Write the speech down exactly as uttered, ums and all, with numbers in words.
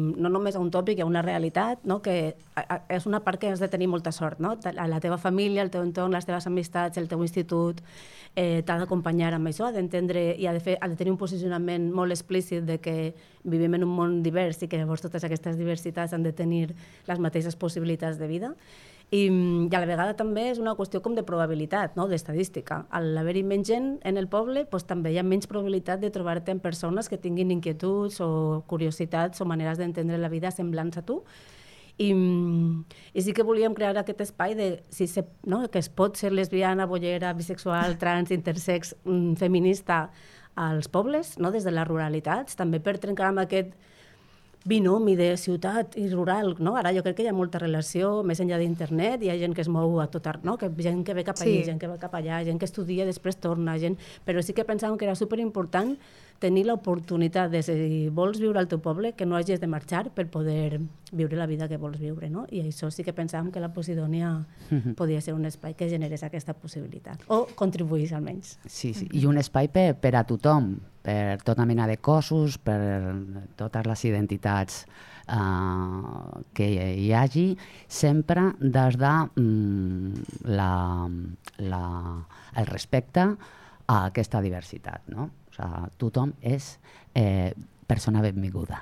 No només a un tòpic, hi ha una realitat, no? Que és una part que has de tenir molta sort, no? La teva família, el teu entorn, les teves amistats, el teu institut, eh, t'ha d'acompanyar amb això, ha d'entendre i ha de, fer, ha de tenir un posicionament molt explícit de que vivim en un món divers i que llavors totes aquestes diversitats han de tenir les mateixes possibilitats de vida. I, i a la vegada també és una qüestió com de probabilitat, no? D'estadística. Al haver-hi menys gent en el poble, doncs, també hi ha menys probabilitat de trobar-te amb persones que tinguin inquietuds o curiositats o maneres d'entendre la vida semblants a tu. I, i sí que volíem crear aquest espai de si se, no? Que es pot ser lesbiana, bollera, bisexual, trans, intersex, feminista als pobles, no? Des de les ruralitats, també per trencar amb aquest binomi de ciutat i rural, no? Ara jo crec que hi ha molta relació, més enllà d'internet, hi ha gent que es mou a tot arreu, no? Que gent que ve cap allà, sí. Gent que va cap allà, gent que estudia, després torna, gent... Però sí que pensàvem que era superimportant tenir l'oportunitat de, si vols viure al teu poble, que no hagis de marxar per poder viure la vida que vols viure, no? I això sí que pensàvem que la Posidònia uh-huh. podia ser un espai que generés aquesta possibilitat, o contribuís almenys. Sí, sí. I un espai per, per a tothom, per tota mena de cossos, per totes les identitats uh, que hi hagi, sempre des de um, la, la, el respecte a aquesta diversitat, no? O sigui, tothom és eh, persona benvinguda.